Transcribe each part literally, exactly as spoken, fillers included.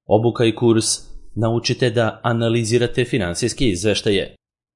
Obuka i kurs Naučite da analizirate finansijske izveštaje.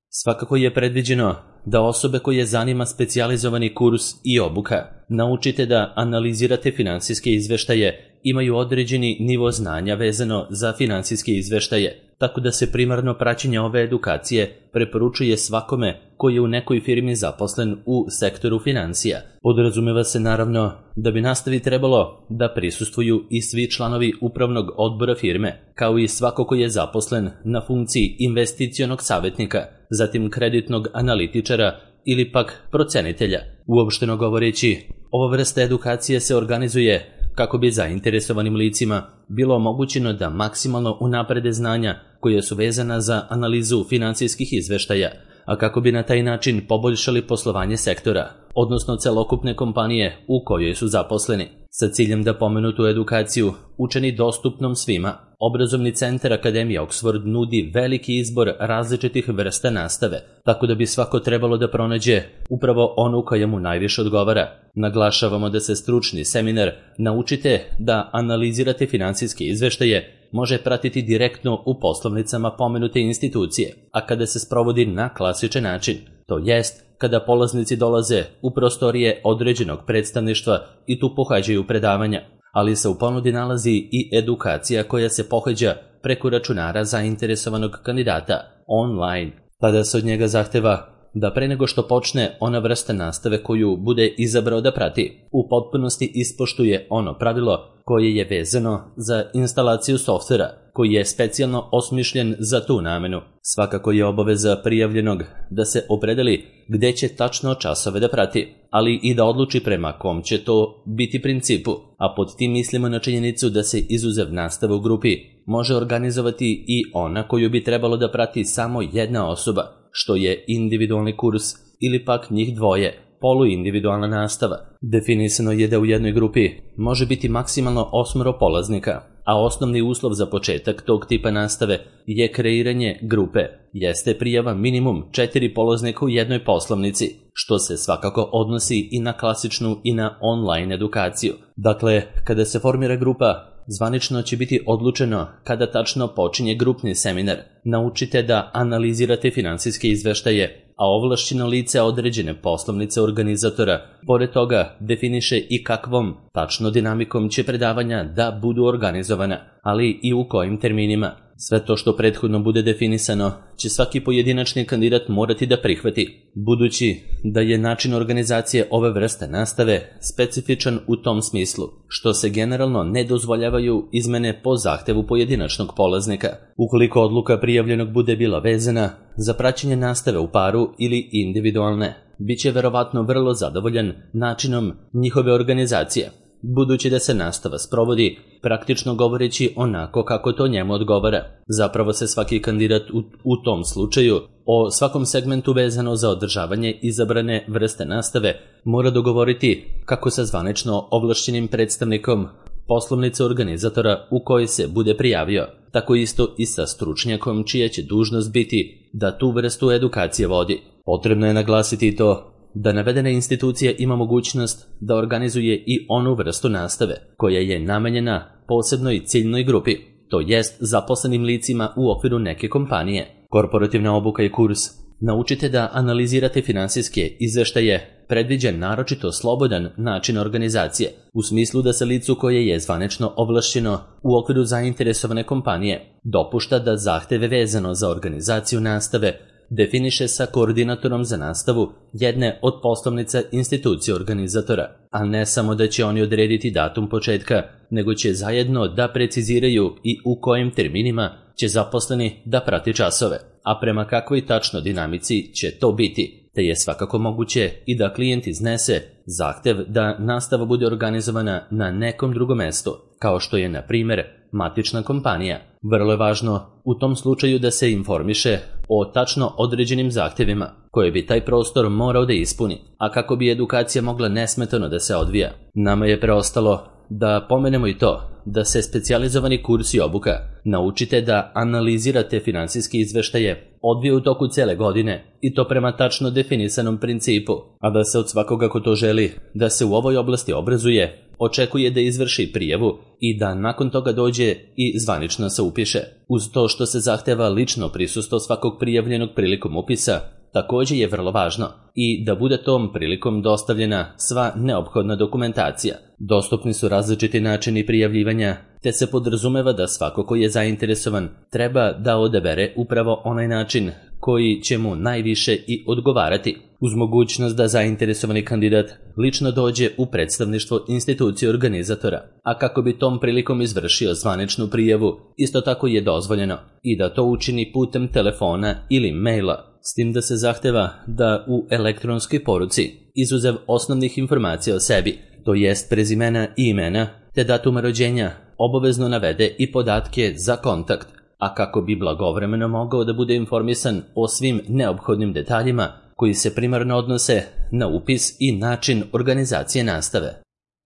Svakako je predviđeno da osobe koje zanima specijalizovani kurs i obuka Naučite da analizirate finansijske izveštaje imaju određeni nivo znanja vezano za finansijske izveštaje, tako da se primarno praćenje ove edukacije preporučuje svakome koji je u nekoj firmi zaposlen u sektoru financija. Podrazumeva se naravno da bi nastavi trebalo da prisustvuju i svi članovi upravnog odbora firme, kao i svako koji je zaposlen na funkciji investicionog savjetnika, zatim kreditnog analitičara ili pak procenitelja. Uopšteno govoreći, ova vrsta edukacije se organizuje kako bi zainteresovanim licima bilo omogućeno da maksimalno unaprede znanja koje su vezana za analizu finansijskih izveštaja, a kako bi na taj način poboljšali poslovanje sektora, odnosno celokupne kompanije u kojoj su zaposleni. Sa ciljem da pomenutu edukaciju učini dostupnom svima, Obrazovni centar Akademije Oxford nudi veliki izbor različitih vrsta nastave, tako da bi svako trebalo da pronađe upravo onu koja mu najviše odgovara. Naglašavamo da se stručni seminar Naučite da analizirate finansijske izveštaje može pratiti direktno u poslovnicama pomenute institucije, a kada se sprovodi na klasičan način, to jest kada polaznici dolaze u prostorije određenog predstavništva i tu pohađaju predavanja, ali se u ponudi nalazi i edukacija koja se pohađa preko računara zainteresovanog kandidata, online. Tada se od njega zahteva da pre nego što počne ona vrsta nastave koju bude izabrao da prati, u potpunosti ispoštuje ono pravilo koje je vezano za instalaciju softvera, koji je specijalno osmišljen za tu namenu. Svakako je obaveza prijavljenog da se opredeli gde će tačno časove da prati, ali i da odluči prema kom će to biti principu, a pod tim mislimo na činjenicu da se izuzev nastave u grupi može organizovati i ona koju bi trebalo da prati samo jedna osoba, što je individualni kurs ili pak njih dvoje, poluindividualna nastava. Definisano je da u jednoj grupi može biti maksimalno osmoro polaznika, a osnovni uslov za početak tog tipa nastave je kreiranje grupe, jeste prijava minimum četiri polaznika u jednoj poslovnici, što se svakako odnosi i na klasičnu i na online edukaciju. Dakle, kada se formira grupa, zvanično će biti odlučeno kada tačno počinje grupni seminar. Naučite da analizirate finansijske izveštaje, a ovlašćeno lice određene poslovnice organizatora, pored toga definiše i kakvom tačno dinamikom će predavanja da budu organizovana, ali i u kojim terminima. Sve to što prethodno bude definisano će svaki pojedinačni kandidat morati da prihvati, budući da je način organizacije ove vrste nastave specifičan u tom smislu, što se generalno ne dozvoljavaju izmene po zahtevu pojedinačnog polaznika. Ukoliko odluka prijavljenog bude bila vezana za praćenje nastave u paru ili individualne, bit će verovatno vrlo zadovoljan načinom njihove organizacije, budući da se nastava sprovodi praktično govoreći onako kako to njemu odgovara. Zapravo se svaki kandidat u, u tom slučaju o svakom segmentu vezano za održavanje izabrane vrste nastave mora dogovoriti kako sa zvanično ovlašćenim predstavnikom poslovnice organizatora u kojoj se bude prijavio, tako isto i sa stručnjakom čija će dužnost biti da tu vrstu edukacije vodi. Potrebno je naglasiti to da navedena institucija ima mogućnost da organizuje i onu vrstu nastave koja je namenjena posebnoj ciljnoj grupi, to jest zaposlenim licima u okviru neke kompanije. Korporativna obuka i kurs Naučite da analizirate finansijske izveštaje predviđa naročito slobodan način organizacije, u smislu da se licu koje je zvanično ovlašćeno u okviru zainteresovane kompanije dopušta da zahteve vezano za organizaciju nastave definiše sa koordinatorom za nastavu jedne od poslovnica institucije organizatora, a ne samo da će oni odrediti datum početka, nego će zajedno da preciziraju i u kojim terminima će zaposleni da prati časove, a prema kakvoj tačno dinamici će to biti, te je svakako moguće i da klijent iznese zahtev da nastava bude organizovana na nekom drugom mestu, kao što je, na primjer, matična kompanija. Vrlo je važno u tom slučaju da se informiše o tačno određenim zahtevima koje bi taj prostor morao da ispuni, a kako bi edukacija mogla nesmetano da se odvija. Nama je preostalo da pomenemo i to da se specijalizovani kurs i obuka Naučite da analizirate finansijske izveštaje odvija u toku cele godine i to prema tačno definisanom principu, a da se od svakoga ko to želi da se u ovoj oblasti obrazuje očekuje da izvrši prijavu i da nakon toga dođe i zvanično se upiše. Uz to što se zahteva lično prisustvo svakog prijavljenog prilikom upisa, također je vrlo važno i da bude tom prilikom dostavljena sva neophodna dokumentacija. Dostupni su različiti načini prijavljivanja, te se podrazumeva da svako ko je zainteresovan treba da odabere upravo onaj način koji će mu najviše i odgovarati, uz mogućnost da zainteresovani kandidat lično dođe u predstavništvo institucije organizatora, a kako bi tom prilikom izvršio zvaničnu prijavu, isto tako je dozvoljeno i da to učini putem telefona ili maila, s tim da se zahteva da u elektronskoj poruci, izuzev osnovnih informacija o sebi, to jest prezimena i imena, te datuma rođenja, obavezno navede i podatke za kontakt, a kako bi blagovremeno mogao da bude informisan o svim neophodnim detaljima koji se primarno odnose na upis i način organizacije nastave.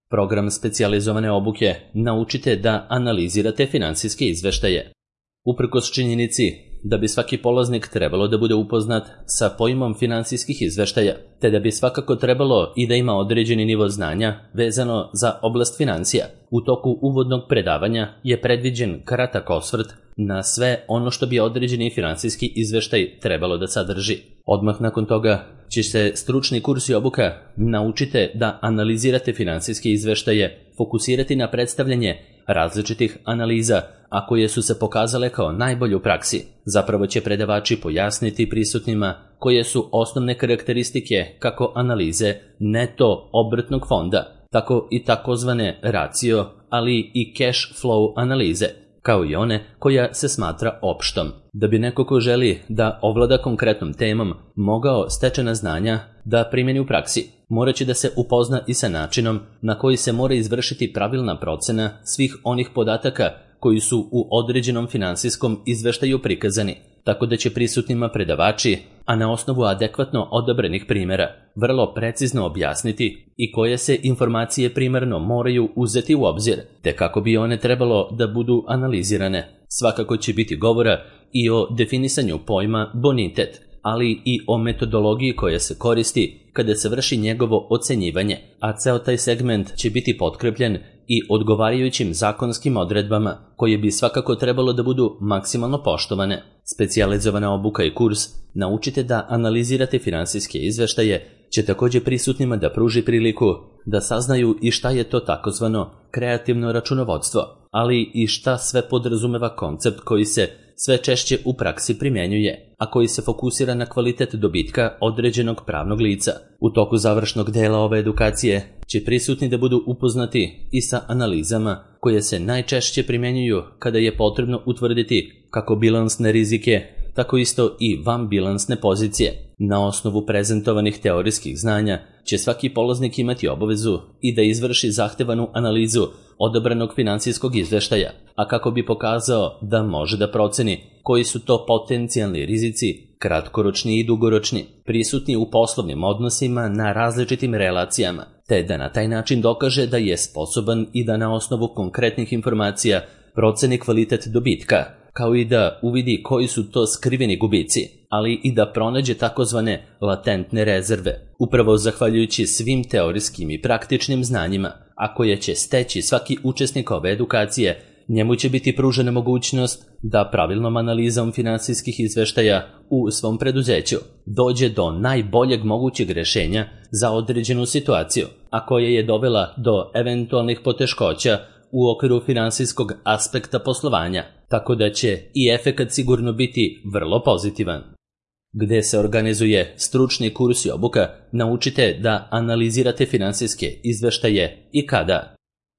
Program specijalizovane obuke naučite da analizirate finansijske izveštaje. Uprkos činjenici da bi svaki polaznik trebalo da bude upoznat sa pojmom finansijskih izveštaja, te da bi svakako trebalo i da ima određeni nivo znanja vezano za oblast financija. U toku uvodnog predavanja je predviđen kratak osvrt na sve ono što bi određeni finansijski izveštaj trebalo da sadrži. Odmah nakon toga će se stručni kurs i obuka naučite da analizirate finansijske izveštaje, fokusirati na predstavljanje različitih analiza, a koje su se pokazale kao najbolje u praksi. Zapravo će predavači pojasniti prisutnima koje su osnovne karakteristike kako analize neto obrtnog fonda, tako i takozvane racio, ali i cash flow analize, kao i one koja se smatra opštom. Da bi neko ko želi da ovlada konkretnom temom mogao stečena znanja da primjeni u praksi, morat će da se upozna i sa načinom na koji se mora izvršiti pravilna procena svih onih podataka koji su u određenom finansijskom izveštaju prikazani, tako da će prisutnima predavači, a na osnovu adekvatno odabrenih primjera, vrlo precizno objasniti i koje se informacije primarno moraju uzeti u obzir, te kako bi one trebalo da budu analizirane. Svakako će biti govora i o definisanju pojma bonitet, ali i o metodologiji koja se koristi kada se vrši njegovo ocenjivanje, a ceo taj segment će biti potkrepljen i odgovarajućim zakonskim odredbama koje bi svakako trebalo da budu maksimalno poštovane. Specijalizovana obuka i kurs naučite da analizirate finansijske izveštaje će također prisutnima da pruži priliku da saznaju i šta je to takozvano kreativno računovodstvo, ali i šta sve podrazumeva koncept koji se sve češće u praksi primjenjuje, a koji se fokusira na kvalitet dobitka određenog pravnog lica. U toku završnog dela ove edukacije će prisutni da budu upoznati i sa analizama koje se najčešće primjenjuju kada je potrebno utvrditi kako bilansne rizike, tako isto i vanbilansne pozicije. Na osnovu prezentovanih teorijskih znanja će svaki polaznik imati obavezu i da izvrši zahtevanu analizu odabranog finansijskog izveštaja, a kako bi pokazao da može da proceni koji su to potencijalni rizici, kratkoročni i dugoročni, prisutni u poslovnim odnosima na različitim relacijama, te da na taj način dokaže da je sposoban i da na osnovu konkretnih informacija proceni kvalitet dobitka, kao i da uvidi koji su to skriveni gubici, ali i da pronađe takozvane latentne rezerve, upravo zahvaljujući svim teorijskim i praktičnim znanjima, a koje će steći svaki učesnik ove edukacije. Njemu će biti pružena mogućnost da pravilnom analizom finansijskih izveštaja u svom preduzeću dođe do najboljeg mogućeg rješenja za određenu situaciju, a koja je dovela do eventualnih poteškoća u okviru finansijskog aspekta poslovanja, tako da će i efekat sigurno biti vrlo pozitivan. Gde se organizuje stručni kurs i obuka, naučite da analizirate finansijske izveštaje i kada.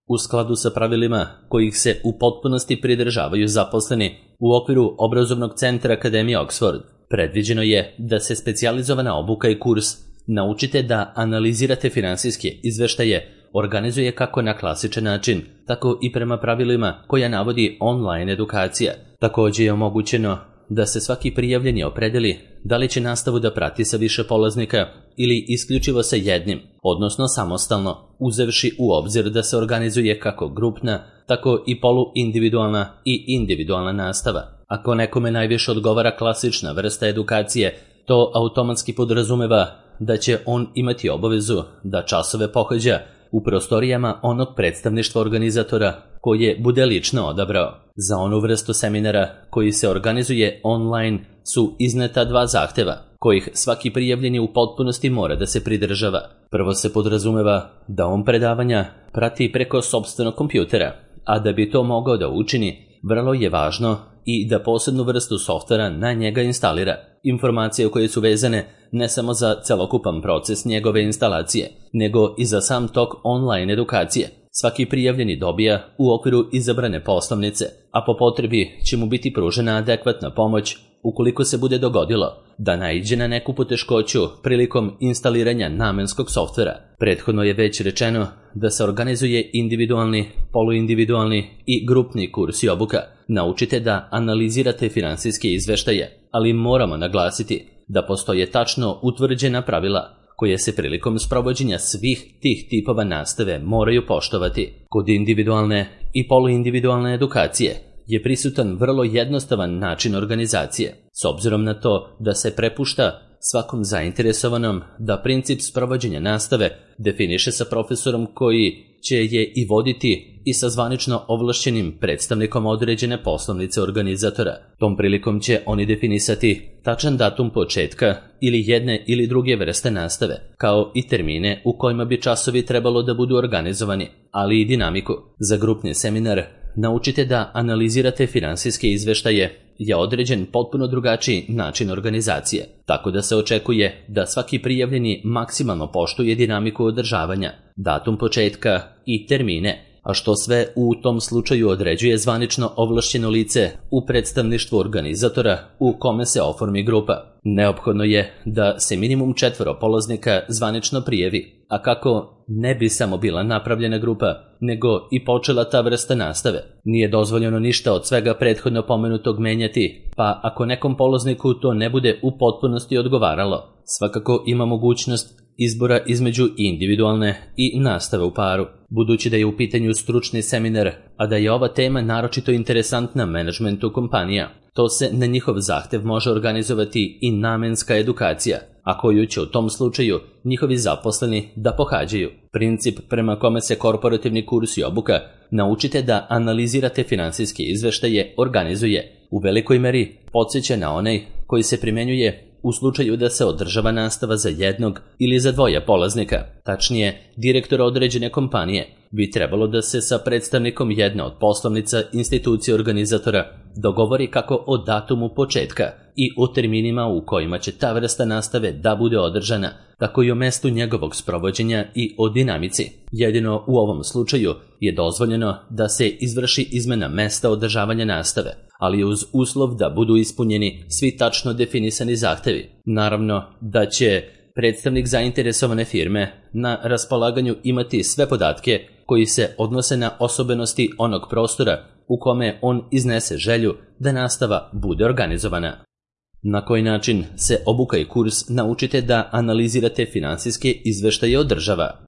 U skladu sa pravilima kojih se u potpunosti pridržavaju zaposleni u okviru obrazovnog centra Akademije Oxford, predviđeno je da se specijalizovana obuka i kurs naučite da analizirate finansijske izveštaje organizuje kako na klasičan način, tako i prema pravilima koja navodi online edukacija. Također je omogućeno da se svaki prijavljeni opredeli da li će nastavu da prati sa više polaznika ili isključivo sa jednim, odnosno samostalno, uzevši u obzir da se organizuje kako grupna, tako i poluindividualna i individualna nastava. Ako nekome najviše odgovara klasična vrsta edukacije, to automatski podrazumeva da će on imati obavezu da časove pohađa u prostorijama onog predstavništva organizatora koje bude lično odabrao. Za onu vrstu seminara koji se organizuje online su izneta dva zahteva, kojih svaki prijavljeni u potpunosti mora da se pridržava. Prvo se podrazumeva da on predavanja prati preko sopstvenog kompjutera, a da bi to mogao da učini, vrlo je važno i da posebnu vrstu softvera na njega instalira. Informacije koje su vezane ne samo za celokupan proces njegove instalacije, nego i za sam tok online edukacije. Svaki prijavljeni dobija u okviru izabrane poslovnice, a po potrebi će mu biti pružena adekvatna pomoć ukoliko se bude dogodilo da naiđe na neku poteškoću prilikom instaliranja namenskog softvera. Prethodno je već rečeno da se organizuje individualni, poluindividualni i grupni kurs i obuka. Naučite da analizirate finansijske izveštaje, ali moramo naglasiti da postoje tačno utvrđena pravila koje se prilikom sprovođenja svih tih tipova nastave moraju poštovati. Kod individualne i poluindividualne edukacije je prisutan vrlo jednostavan način organizacije, s obzirom na to da se prepušta svakom zainteresovanom da princip sprovođenja nastave definiše sa profesorom koji će je i voditi i sa zvanično ovlašćenim predstavnikom određene poslovnice organizatora. Tom prilikom će oni definisati tačan datum početka ili jedne ili druge vrste nastave, kao i termine u kojima bi časovi trebalo da budu organizovani, ali i dinamiku. Za grupni seminar naučite da analizirate finansijske izveštaje je određen potpuno drugačiji način organizacije, tako da se očekuje da svaki prijavljeni maksimalno poštuje dinamiku održavanja, datum početka i termine, a što sve u tom slučaju određuje zvanično ovlašćeno lice u predstavništvu organizatora u kome se oformi grupa. Neophodno je da se minimum četvoro polaznika zvanično prijavi, a kako ne bi samo bila napravljena grupa, nego i počela ta vrsta nastave. Nije dozvoljeno ništa od svega prethodno pomenutog menjati, pa ako nekom polazniku to ne bude u potpunosti odgovaralo, svakako ima mogućnost izbora između individualne i nastave u paru. Budući da je u pitanju stručni seminar, a da je ova tema naročito interesantna menadžmentu kompanija, to se na njihov zahtev može organizovati i namenska edukacija, a koju će u tom slučaju njihovi zaposleni da pohađaju. Princip prema kome se korporativni kurs i obuka naučite da analizirate finansijske izveštaje organizuje u velikoj meri podsjeća na onaj koji se primenjuje u slučaju da se održava nastava za jednog ili za dvoje polaznika. Tačnije, direktor određene kompanije bi trebalo da se sa predstavnikom jedne od poslovnica institucije organizatora dogovori kako o datumu početka i o terminima u kojima će ta vrsta nastave da bude održana, tako i o mestu njegovog sprovođenja i o dinamici. Jedino u ovom slučaju je dozvoljeno da se izvrši izmena mesta održavanja nastave, ali uz uslov da budu ispunjeni svi tačno definisani zahtevi. Naravno da će predstavnik zainteresovane firme na raspolaganju imati sve podatke koji se odnose na osobenosti onog prostora u kome on iznese želju da nastava bude organizovana. Na koji način se obuka i kurs naučite da analizirate finansijske izveštaje održava?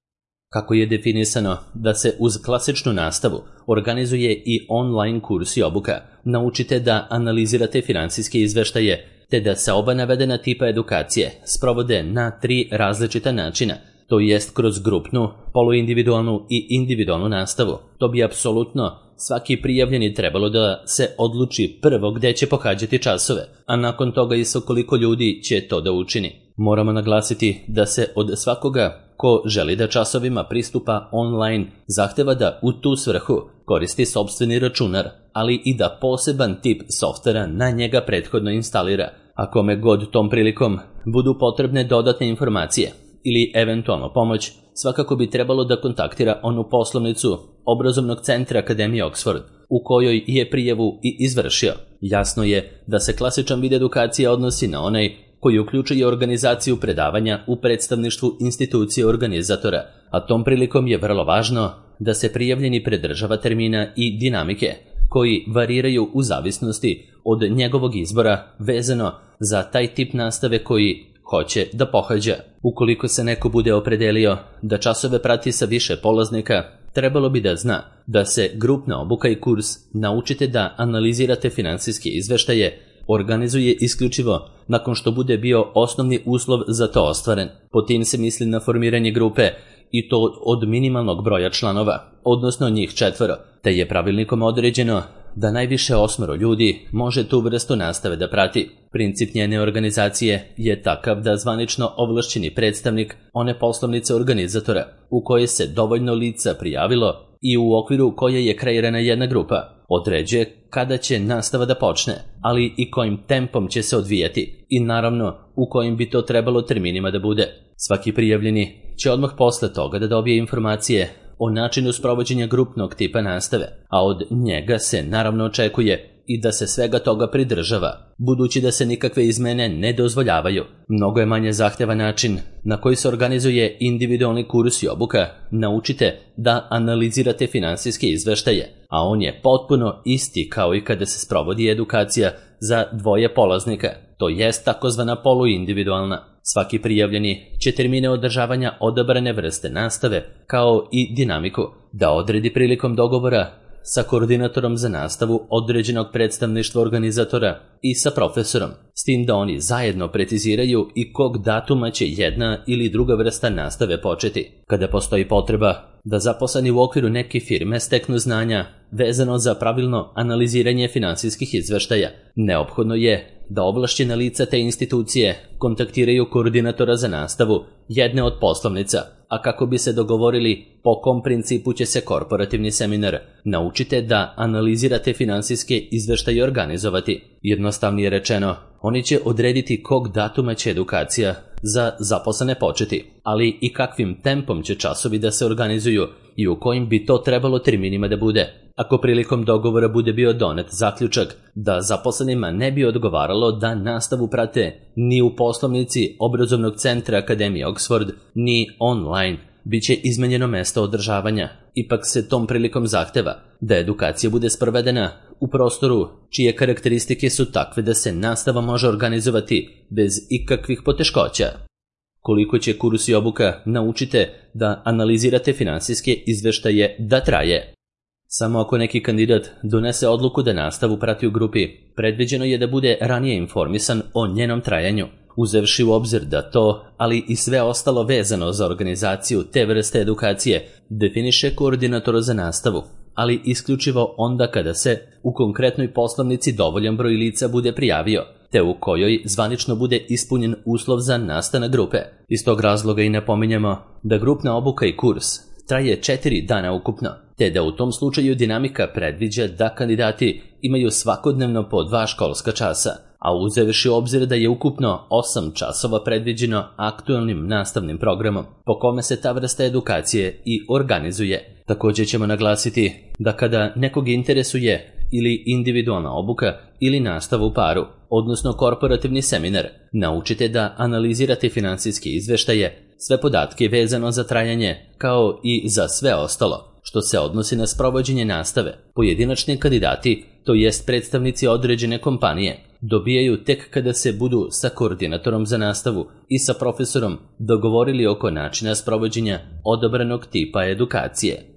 Kako je definisano da se uz klasičnu nastavu organizuje i online kurs i obuka, naučite da analizirate finansijske izveštaje, te da se oba navedena tipa edukacije sprovode na tri različita načina, to jest kroz grupnu, poluindividualnu i individualnu nastavu. To bi apsolutno svaki prijavljeni trebalo da se odluči prvo gde će pohađati časove, a nakon toga i sa koliko ljudi će to da učini. Moramo naglasiti da se od svakoga ko želi da časovima pristupa online zahteva da u tu svrhu koristi sopstveni računar, ali i da poseban tip softvera na njega prethodno instalira, a kome god tom prilikom budu potrebne dodatne informacije ili eventualno pomoć, svakako bi trebalo da kontaktira onu poslovnicu obrazovnog centra Akademije Oxford, u kojoj je prijavu i izvršio. Jasno je da se klasičan vid edukacije odnosi na onaj koji uključuje organizaciju predavanja u predstavništvu institucije organizatora, a tom prilikom je vrlo važno da se prijavljeni pridržava termina i dinamike, koji variraju u zavisnosti od njegovog izbora vezano za taj tip nastave koji hoće da pohađa. Ukoliko se neko bude opredelio da časove prati sa više polaznika, trebalo bi da zna da se grupna obuka i kurs naučite da analizirate finansijske izveštaje organizuje isključivo nakon što bude bio osnovni uslov za to ostvaren. Po tim se misli na formiranje grupe i to od minimalnog broja članova, odnosno njih četvoro, te je pravilnikom određeno da najviše osmero ljudi može tu vrstu nastave da prati. Princip njene organizacije je takav da zvanično ovlašćeni predstavnik one poslovnice organizatora u koje se dovoljno lica prijavilo i u okviru koje je kreirana jedna grupa, određuje kada će nastava da počne, ali i kojim tempom će se odvijati i naravno u kojim bi to trebalo terminima da bude. Svaki prijavljeni će odmah posle toga da dobije informacije o načinu sprovođenja grupnog tipa nastave, a od njega se naravno očekuje i da se svega toga pridržava, budući da se nikakve izmene ne dozvoljavaju. Mnogo je manje zahtevan način na koji se organizuje individualni kurs i obuka. Naučite da analizirate finansijske izveštaje, a on je potpuno isti kao i kada se sprovodi edukacija za dvoje polaznika, to jest takozvana poluindividualna. Svaki prijavljeni će termine održavanja odabrane vrste nastave, kao i dinamiku, da odredi prilikom dogovora sa koordinatorom za nastavu određenog predstavništva organizatora i sa profesorom, s tim da oni zajedno preciziraju i kog datuma će jedna ili druga vrsta nastave početi. Kada postoji potreba da zaposleni u okviru neke firme steknu znanja vezano za pravilno analiziranje finansijskih izveštaja, neophodno je da ovlašćena lica te institucije kontaktiraju koordinatora za nastavu jedne od poslovnica, a kako bi se dogovorili po kom principu će se korporativni seminar Naučite da analizirate finansijske izveštaje organizovati. Jednostavnije rečeno, oni će odrediti kog datuma će edukacija za zaposlene početi, ali i kakvim tempom će časovi da se organizuju i u kojim bi to trebalo terminima da bude. Ako prilikom dogovora bude bio donet zaključak da zaposlenima ne bi odgovaralo da nastavu prate ni u poslovnici obrazovnog centra Akademije Oxford, ni online, bit će izmenjeno mesto održavanja. Ipak se tom prilikom zahteva da edukacija bude sprovedena u prostoru čije karakteristike su takve da se nastava može organizovati bez ikakvih poteškoća. Koliko će kurs i obuka Naučite da analizirate finansijske izveštaje da traje? Samo ako neki kandidat donese odluku da nastavu prati u grupi, predviđeno je da bude ranije informisan o njenom trajanju, uzevši u obzir da to, ali i sve ostalo vezano za organizaciju te vrste edukacije, definiše koordinator za nastavu, ali isključivo onda kada se u konkretnoj poslovnici dovoljan broj lica bude prijavio, te u kojoj zvanično bude ispunjen uslov za nastanak grupe. Iz tog razloga i napominjemo da grupna obuka i kurs traje četiri dana ukupno, te da u tom slučaju dinamika predviđa da kandidati imaju svakodnevno po dva školska časa, a uzevši u obzir da je ukupno osam časova predviđeno aktualnim nastavnim programom, po kome se ta vrsta edukacije i organizuje. Također ćemo naglasiti da kada nekog interesuje ili individualna obuka ili nastava u paru, odnosno korporativni seminar, naučite da analizirate finansijske izveštaje, sve podatke vezano za trajanje, kao i za sve ostalo, što se odnosi na sprovođenje nastave. Pojedinačni kandidati, to jest predstavnici određene kompanije, dobijaju tek kada se budu sa koordinatorom za nastavu i sa profesorom dogovorili oko načina sprovođenja odabranog tipa edukacije.